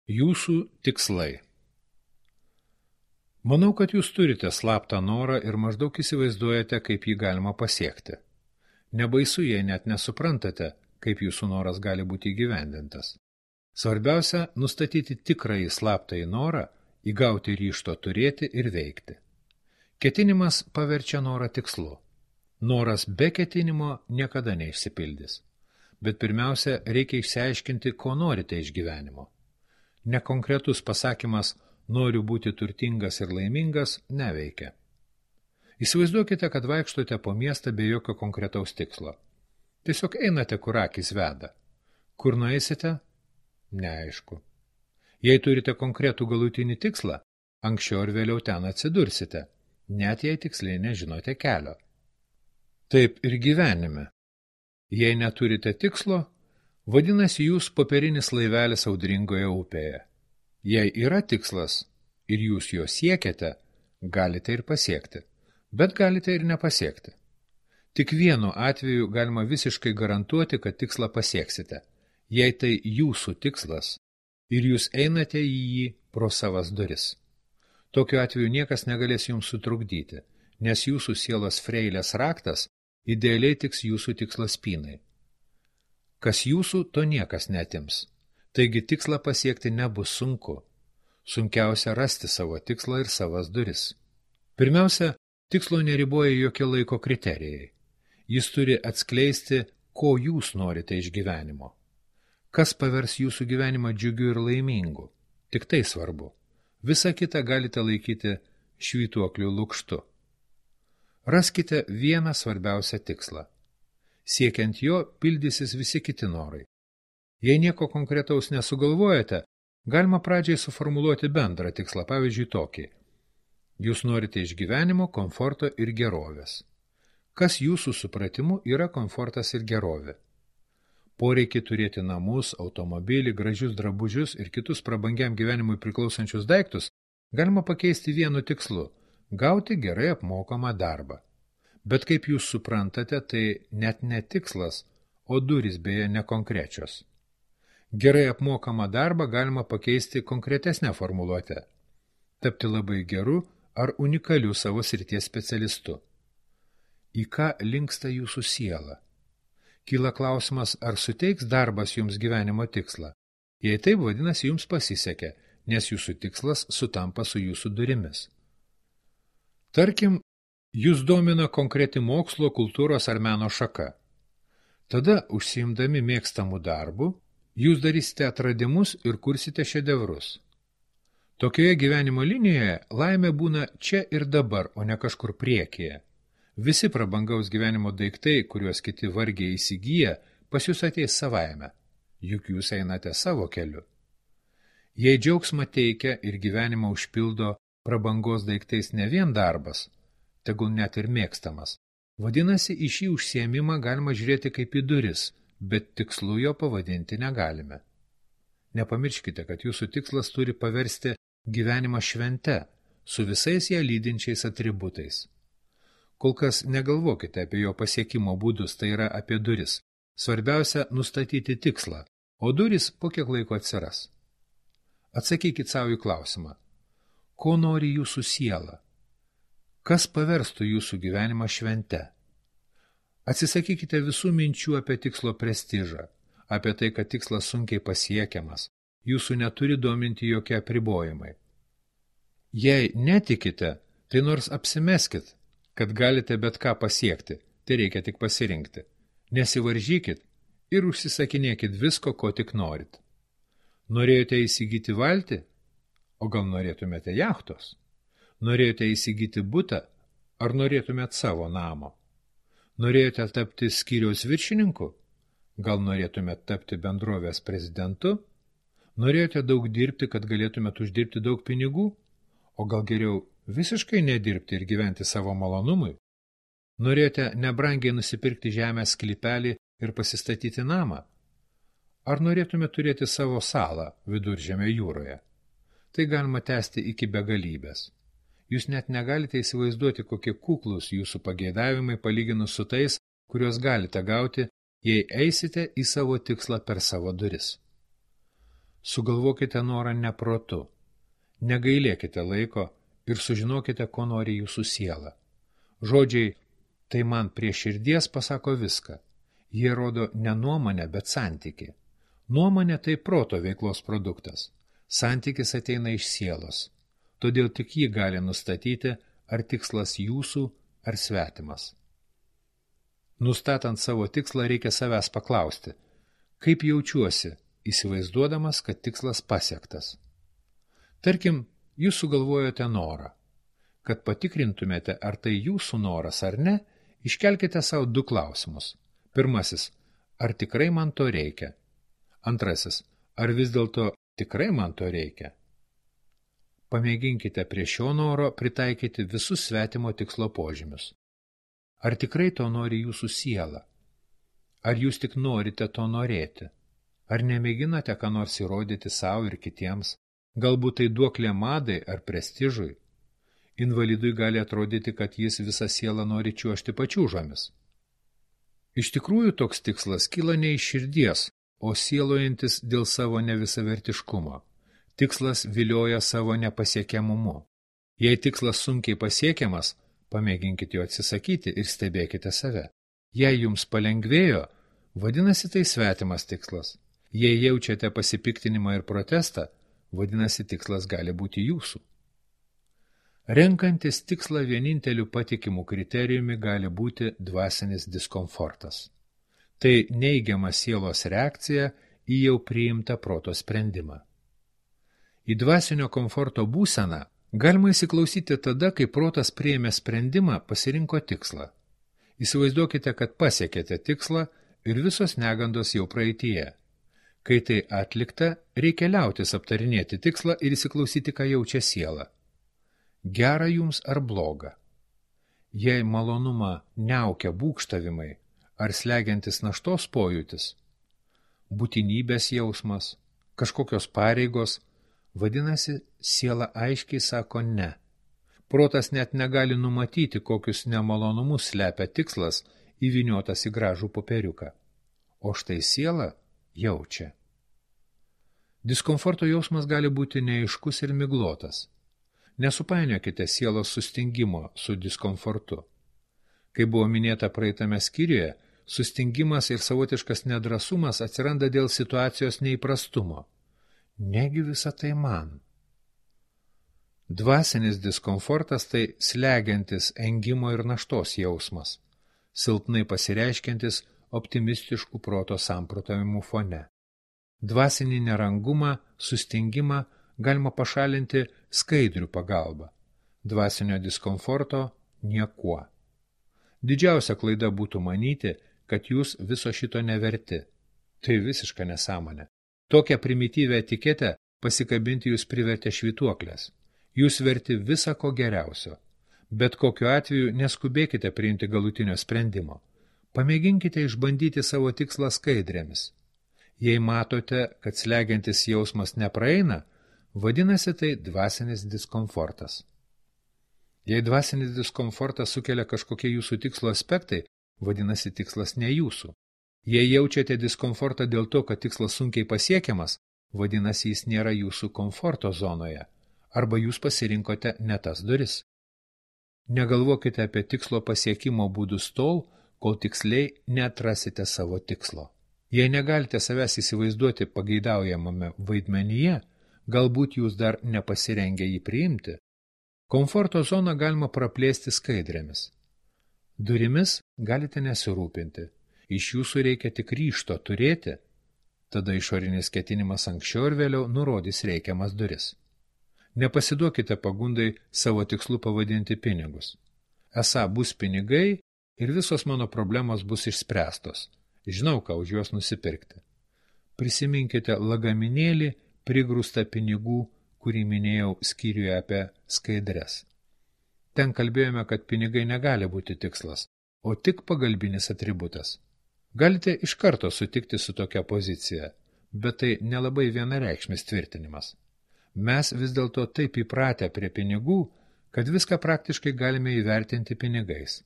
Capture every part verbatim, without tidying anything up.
Jūsų tikslai. Manau, kad jūs turite slaptą norą ir maždaug įsivaizduojate, kaip jį galima pasiekti. Nebaisu, jei net nesuprantate, kaip jūsų noras gali būti įgyvendintas. Svarbiausia – nustatyti tikrąjį slaptąjį norą, įgauti ryžto turėti ir veikti. Ketinimas paverčia norą tikslu. Noras be ketinimo niekada neišsipildys. Bet pirmiausia, reikia išsiaiškinti, ko norite iš gyvenimo. Nekonkretus pasakymas noriu būti turtingas ir laimingas neveikia. Įsivaizduokite, kad vaikštote po miestą be jokio konkretaus tikslo. Tiesiog einate, kur akys veda. Kur nueisite? Neaišku. Jei turite konkretų galutinį tikslą, anksčiau ar vėliau ten atsidursite, net jei tiksliai nežinote kelio. Taip ir gyvenime. Jei neturite tikslo, vadinasi jūs popierinis laivelis audringoje upėje. Jei yra tikslas ir jūs jo siekiate, galite ir pasiekti, bet galite ir nepasiekti. Tik vienu atveju galima visiškai garantuoti, kad tikslą pasieksite, jei tai jūsų tikslas ir jūs einate į jį pro savas duris. Tokiu atveju niekas negalės jums sutrukdyti, nes jūsų sielos freilės raktas idealiai tiks jūsų tikslo spynai. Kas jūsų, to niekas netims. Taigi tikslą pasiekti nebus sunku. Sunkiausia rasti savo tikslą ir savas duris. Pirmiausia, tikslo neriboja jokie laiko kriterijai. Jis turi atskleisti, ko jūs norite iš gyvenimo. Kas pavers jūsų gyvenimą džiugiu ir laimingu. Tik tai svarbu. Visą kitą galite laikyti švytuoklių lukštu. Raskite vieną svarbiausią tikslą. Siekiant jo, pildysis visi kiti norai. Jei nieko konkretaus nesugalvojate, galima pradžiai suformuluoti bendrą tikslą, pavyzdžiui tokį. Jūs norite iš gyvenimo, komforto ir gerovės. Kas jūsų supratimu yra komfortas ir gerovė? Poreikį turėti namus, automobilį, gražius drabužius ir kitus prabangiam gyvenimui priklausančius daiktus galima pakeisti vienu tikslu – gauti gerai apmokamą darbą. Bet kaip jūs suprantate, tai net ne tikslas, o durys beje nekonkrečios. Gerai apmokamą darbą galima pakeisti konkretesnę formuluotę. Tapti labai geru ar unikaliu savo srities specialistu. Į ką linksta jūsų siela? Kyla klausimas, ar suteiks darbas jums gyvenimo tikslą. Jei taip, vadinasi, jums pasisekė, nes jūsų tikslas sutampa su jūsų durimis. Tarkim, jūs domina konkreti mokslo, kultūros ar meno šaka. Tada, užsiimdami mėgstamų darbų, jūs darysite atradimus ir kursite šedevrus. Tokioje gyvenimo linijoje laimė būna čia ir dabar, o ne kažkur priekyje. Visi prabangaus gyvenimo daiktai, kuriuos kiti vargiai įsigyja, pas jūs ateis savaime, juk jūs einate savo keliu. Jei džiaugsmą teikia ir gyvenimą užpildo prabangos daiktais ne vien darbas, tegul net ir mėgstamas, vadinasi, į šį užsiėmimą galima žiūrėti kaip į duris, bet tikslu jo pavadinti negalime. Nepamirškite, kad jūsų tikslas turi paversti gyvenimą švente, su visais ją lydinčiais atributais. Kol kas negalvokite apie jo pasiekimo būdus, tai yra apie duris. Svarbiausia nustatyti tikslą, o duris po kiek laiko atsiras. Atsakykit savo į klausimą. Ko nori jūsų siela? Kas paverstų jūsų gyvenimą švente? Atsisakykite visų minčių apie tikslo prestižą, apie tai, kad tikslas sunkiai pasiekiamas, jūsų neturi dominti jokie apribojimai. Jei netikite, tai nors apsimeskit, kad galite bet ką pasiekti, tai reikia tik pasirinkti. Nesivaržykit ir užsisakinėkit visko, ko tik norit. Norėjote įsigyti valtį? O gal norėtumėte jachtos? Norėjote įsigyti butą? Ar norėtumėt savo namo? Norėjote tapti skyriaus viršininku? Gal norėtumėt tapti bendrovės prezidentu? Norėjote daug dirbti, kad galėtumėt uždirbti daug pinigų? O gal geriau visiškai nedirbti ir gyventi savo malonumui? Norėjote nebrangiai nusipirkti žemės sklypelį ir pasistatyti namą? Ar norėtume turėti savo salą Viduržemio jūroje? Tai galima tęsti iki begalybės. Jūs net negalite įsivaizduoti, kokie kuklūs jūsų pageidavimai palyginus su tais, kuriuos galite gauti, jei eisite į savo tikslą per savo duris. Sugalvokite norą neprotu. Negailėkite laiko ir sužinokite, ko nori jūsų siela. Žodžiai tai man prie širdies pasako viską. Jie rodo ne nuomonę, bet santykį. Nuomonė tai proto veiklos produktas. Santykis ateina iš sielos. Todėl tik jį gali nustatyti, ar tikslas jūsų, ar svetimas. Nustatant savo tikslą reikia savęs paklausti, kaip jaučiuosi, įsivaizduodamas, kad tikslas pasiektas. Tarkim, jūs sugalvojote norą. Kad patikrintumėte, ar tai jūsų noras ar ne, iškelkite savo du klausimus. Pirmasis, ar tikrai man to reikia? Antrasis, ar vis dėlto tikrai man to reikia? Pamėginkite prie šio noro pritaikyti visus svetimo tikslo požymius. Ar tikrai to nori jūsų siela? Ar jūs tik norite to norėti? Ar nemėginate ką nors įrodyti savo ir kitiems? Galbūt tai duoklė madai ar prestižui? Invalidui gali atrodyti, kad jis visą sielą nori čiuožti pačiūžomis. Iš tikrųjų toks tikslas kyla ne iš širdies, o sielojantis dėl savo nevisavertiškumo. Tikslas vilioja savo nepasiekiamumu. Jei tikslas sunkiai pasiekiamas, pamėginkite jo atsisakyti ir stebėkite save. Jei jums palengvėjo, vadinasi tai svetimas tikslas. Jei jaučiate pasipiktinimą ir protestą, vadinasi tikslas gali būti jūsų. Renkantis tikslą vieninteliu patikimų kriterijumi gali būti dvasinis diskomfortas. Tai neigiama sielos reakcija į jau priimtą proto sprendimą. Į dvasinio komforto būseną galima įsiklausyti tada, kai protas priėmė sprendimą, pasirinko tikslą. Įsivaizduokite, kad pasiekėte tikslą ir visos negandos jau praeityje. Kai tai atlikta, reikia liautis aptarinėti tikslą ir įsiklausyti, ką jaučia siela. Gera jums ar bloga? Jei malonumą niaukia būgštavimai ar slegiantis naštos pojūtis, būtinybės jausmas, kažkokios pareigos, vadinasi, siela aiškiai sako ne. Protas net negali numatyti, kokius nemalonumus slepia tikslas įvyniotas į gražų popieriuką. O štai siela jaučia. Diskomforto jausmas gali būti neaiškus ir miglotas. Nesupainiokite sielos sustingimo su diskomfortu. Kaip buvo minėta praeitame skyriuje, sustingimas ir savotiškas nedrasumas atsiranda dėl situacijos neįprastumo. Negi visa tai man. Dvasinis diskomfortas tai slegiantis engimo ir naštos jausmas, silpnai pasireiškiantis optimistiškų proto samprotavimų fone. Dvasinį nerangumą, sustingimą galima pašalinti skaidrių pagalba, dvasinio diskomforto niekuo. Didžiausia klaida būtų manyti, kad jūs viso šito neverti. Tai visiška nesąmonė. Tokią primityvę etiketę pasikabinti jūs privertė švytuoklės. Jūs verti visą ko geriausio. Bet kokiu atveju neskubėkite priimti galutinio sprendimo. Pamėginkite išbandyti savo tikslą skaidrėmis. Jei matote, kad slegiantis jausmas nepraeina, vadinasi tai dvasinis diskomfortas. Jei dvasinis diskomfortas sukelia kažkokie jūsų tikslo aspektai, vadinasi tikslas ne jūsų. Jei jaučiate diskomfortą dėl to, kad tikslas sunkiai pasiekiamas, vadinasi jis nėra jūsų komforto zonoje, arba jūs pasirinkote ne tas duris. Negalvokite apie tikslo pasiekimo būdus tol, kol tiksliai neatrasite savo tikslo. Jei negalite savęs įsivaizduoti pageidaujamame vaidmenyje, galbūt jūs dar nepasirengę jį priimti, komforto zoną galima praplėsti skaidrėmis. Durimis galite nesirūpinti, iš jūsų reikia tik ryžto turėti, tada išorinis ketinimas anksčiau ir vėliau nurodys reikiamas duris. Nepasiduokite pagundai savo tikslu pavadinti pinigus. Esą bus pinigai ir visos mano problemos bus išspręstos. Žinau, ką už juos nusipirkti. Prisiminkite lagaminėlį prigrūstą pinigų, kurį minėjau skyriuje apie skaidres. Ten kalbėjome, kad pinigai negali būti tikslas, o tik pagalbinis atributas. Galite iš karto sutikti su tokia pozicija, bet tai nelabai vienareikšmis tvirtinimas. Mes vis dėlto taip įpratę prie pinigų, kad viską praktiškai galime įvertinti pinigais.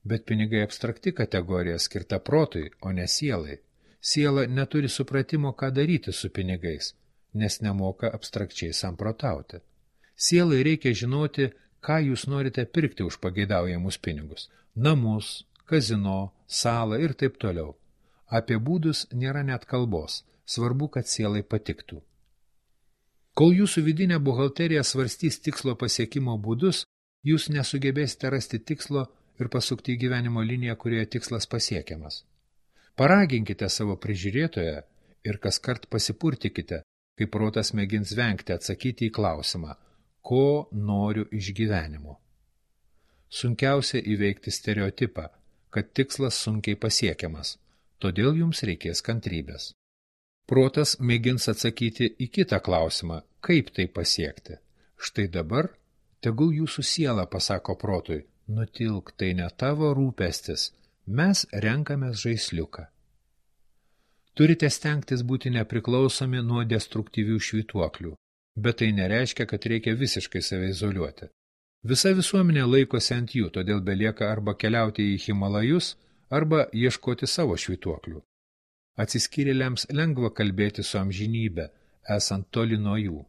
Bet pinigai abstrakti kategorija skirta protui, o ne sielai. siela neturi supratimo, ką daryti su pinigais, nes nemoka abstrakčiai samprotauti. Sielai reikia žinoti, ką jūs norite pirkti už pageidaujamus pinigus – namus, kazino, salą ir taip toliau. Apie būdus nėra net kalbos, svarbu, kad sielai patiktų. Kol jūsų vidinė buhalterija svarstys tikslo pasiekimo būdus, jūs nesugebėsite rasti tikslo ir pasukti į gyvenimo liniją, kurioje tikslas pasiekiamas. Paraginkite savo prižiūrėtoją ir kaskart pasipurtikite, kai protas mėgins vengti atsakyti į klausimą, ko noriu iš gyvenimo. Sunkiausia įveikti stereotipą, kad tikslas sunkiai pasiekiamas, todėl jums reikės kantrybės. Protas mėgins atsakyti į kitą klausimą, kaip tai pasiekti. Štai dabar tegul jūsų siela pasako protui, nutilk, tai ne tavo rūpestis, mes renkamės žaisliuką. Turite stengtis būti nepriklausomi nuo destruktyvių švytuoklių, bet tai nereiškia, kad reikia visiškai save izoliuoti. Visa visuomenė laikosi ant jų, todėl belieka arba keliauti į Himalajus, arba ieškoti savo švytuoklių. Atsiskyrėliams lengva kalbėti su amžinybė, esant toli nuo jų.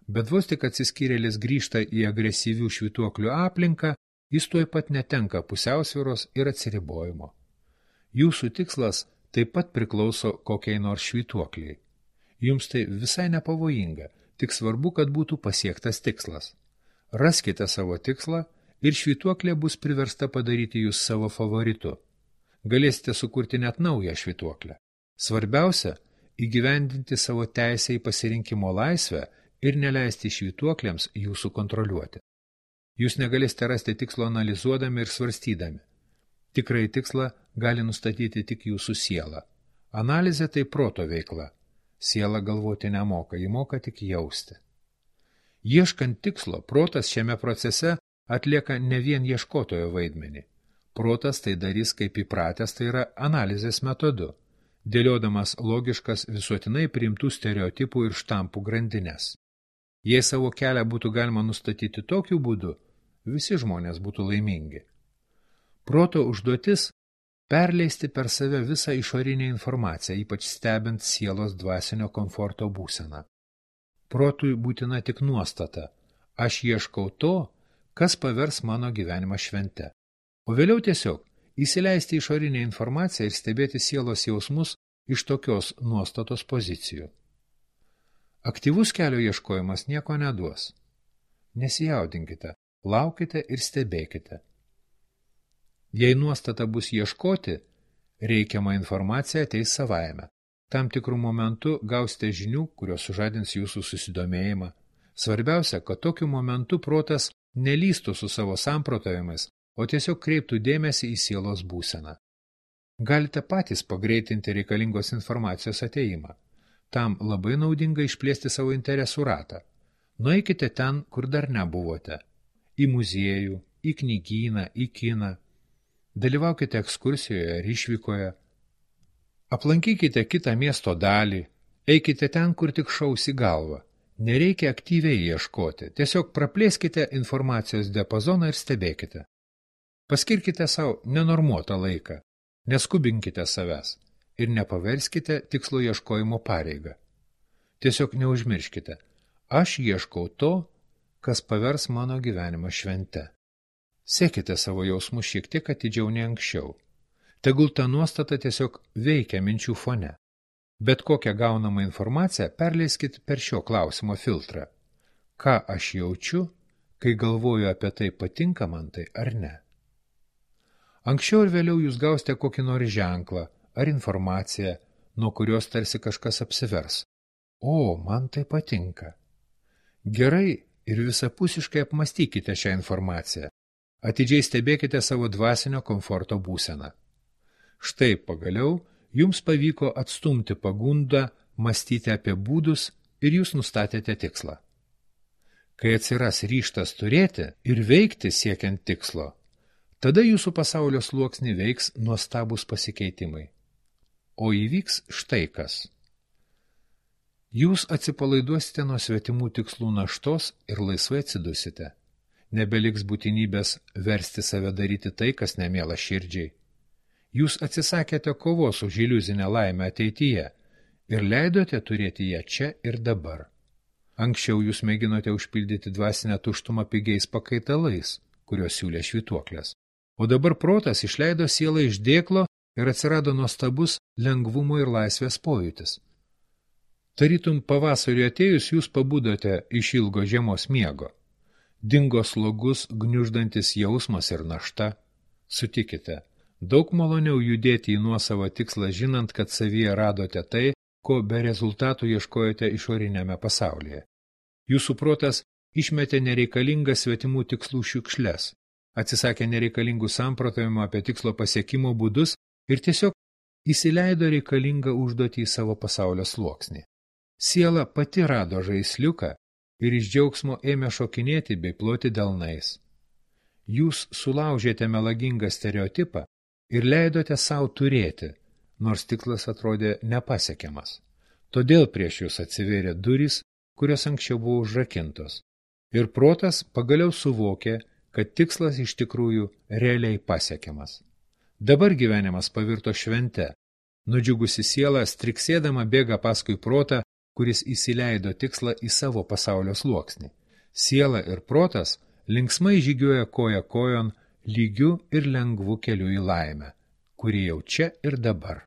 Bet vos tik atsiskyrėlis grįžta į agresyvių švytuoklių aplinką, jis tuoj pat netenka pusiausvyros ir atsiribojimo. Jūsų tikslas taip pat priklauso kokiai nors švytuokliai. Jums tai visai nepavojinga, tik svarbu, kad būtų pasiektas tikslas. Raskite savo tikslą ir švytuoklė bus priversta padaryti jūs savo favoritu. Galėsite sukurti net naują švytuoklę. Svarbiausia – įgyvendinti savo teisę į pasirinkimo laisvę ir neleisti švytuoklėms jūsų kontroliuoti. Jūs negalėsite rasti tikslo analizuodami ir svarstydami. Tikrai tikslą gali nustatyti tik jūsų siela. Analizė tai proto veikla. Siela galvoti nemoka, ji moka tik jausti. Ieškant tikslo, protas šiame procese atlieka ne vien ieškotojo vaidmenį. Protas tai darys kaip įpratęs, tai yra analizės metodu, dėliodamas logiškas visuotinai priimtų stereotipų ir štampų grandines. Jei savo kelią būtų galima nustatyti tokiu būdu, visi žmonės būtų laimingi. Proto užduotis – perleisti per save visą išorinę informaciją, ypač stebint sielos dvasinio komforto būseną. Protui būtina tik nuostata – aš ieškau to, kas pavers mano gyvenimą švente. O vėliau tiesiog įsileisti išorinę informaciją ir stebėti sielos jausmus iš tokios nuostatos pozicijų. Aktyvus kelio ieškojimas nieko neduos. Nesijaudinkite, laukite ir stebėkite. Jei nuostata bus ieškoti, reikiama informacija ateis savaime. Tam tikrų momentų gausite žinių, kurios sužadins jūsų susidomėjimą. Svarbiausia, kad tokiu momentu protas nelystų su savo samprotavimais, o tiesiog kreiptų dėmesį į sielos būseną. Galite patys pagreitinti reikalingos informacijos ateimą. Tam labai naudinga išplėsti savo interesų ratą. Nueikite ten, kur dar nebuvote. Į muziejų, į knygyną, į kiną. Dalyvaukite ekskursijoje ar išvykoje. Aplankykite kitą miesto dalį. Eikite ten, kur tik šaus į galvą. Nereikia aktyviai ieškoti. Tiesiog praplėskite informacijos diapazoną ir stebėkite. Paskirkite savo nenormuotą laiką. Neskubinkite savęs ir nepaverskite tikslo ieškojimo pareigą. Tiesiog neužmirškite, aš ieškau to, kas pavers mano gyvenimą švente. Sekite savo jausmus šiek tiek atidžiau nei anksčiau. Tegul ta nuostata tiesiog veikia minčių fone. Bet kokią gaunamą informaciją perleiskit per šio klausimo filtrą. Ką aš jaučiu, kai galvoju apie tai, patinka man tai ar ne? Anksčiau ir vėliau jūs gausite kokį nors ženklą ar informaciją, nuo kurios tarsi kažkas apsivers. O, man tai patinka. Gerai ir visapusiškai apmastykite šią informaciją. Atidžiai stebėkite savo dvasinio komforto būseną. Štai pagaliau jums pavyko atstumti pagundą, mąstyti apie būdus ir jūs nustatėte tikslą. Kai atsiras ryžtas turėti ir veikti siekiant tikslo, tada jūsų pasaulio sluoksnį veiks nuostabūs pasikeitimai. O įvyks štai kas. Jūs atsipalaiduosite nuo svetimų tikslų naštos ir laisvai atsidusite. Nebeliks būtinybės versti save daryti tai, kas nemiela širdžiai. Jūs atsisakėte kovos už iliuzinę laimę ateityje ir leidote turėti ją čia ir dabar. Anksčiau jūs mėginote užpildyti dvasinę tuštumą pigiais pakaitalais, kurios siūlė švytuoklės. O dabar protas išleido sielą iš dėklo ir atsirado nuostabus lengvumo ir laisvės pojūtis. Tarytum pavasariui atėjus jūs pabudote iš ilgo žiemos miego. Dingo slogus, gniuždantis jausmas ir našta. Sutikite, daug maloniau judėti į nuosavą tikslą, žinant, kad savyje radote tai, ko be rezultatų ieškojote išorinėme pasaulyje. Jūsų protas išmetė nereikalingas svetimų tikslų šiukšles, atsisakė nereikalingų samprotavimų apie tikslo pasiekimo būdus ir tiesiog įsileido reikalingą užduotį į savo pasaulio sluoksnį. Siela pati rado žaisliuką ir iš džiaugsmo ėmė šokinėti bei ploti delnais. Jūs sulaužėte melagingą stereotipą ir leidote savo turėti, nors tikslas atrodė nepasiekiamas. Todėl prieš jūs atsivėrė durys, kurios anksčiau buvo užrakintos. Ir protas pagaliau suvokė, kad tikslas iš tikrųjų realiai pasiekiamas. Dabar gyvenimas pavirto švente. Nudžiugusi siela striksėdama bėga paskui protą, kuris įsileido tikslą į savo pasaulio sluoksnį. Siela ir protas linksmai žygiuoja koja kojon lygiu ir lengvu keliu į laimę, kuri jau čia ir dabar.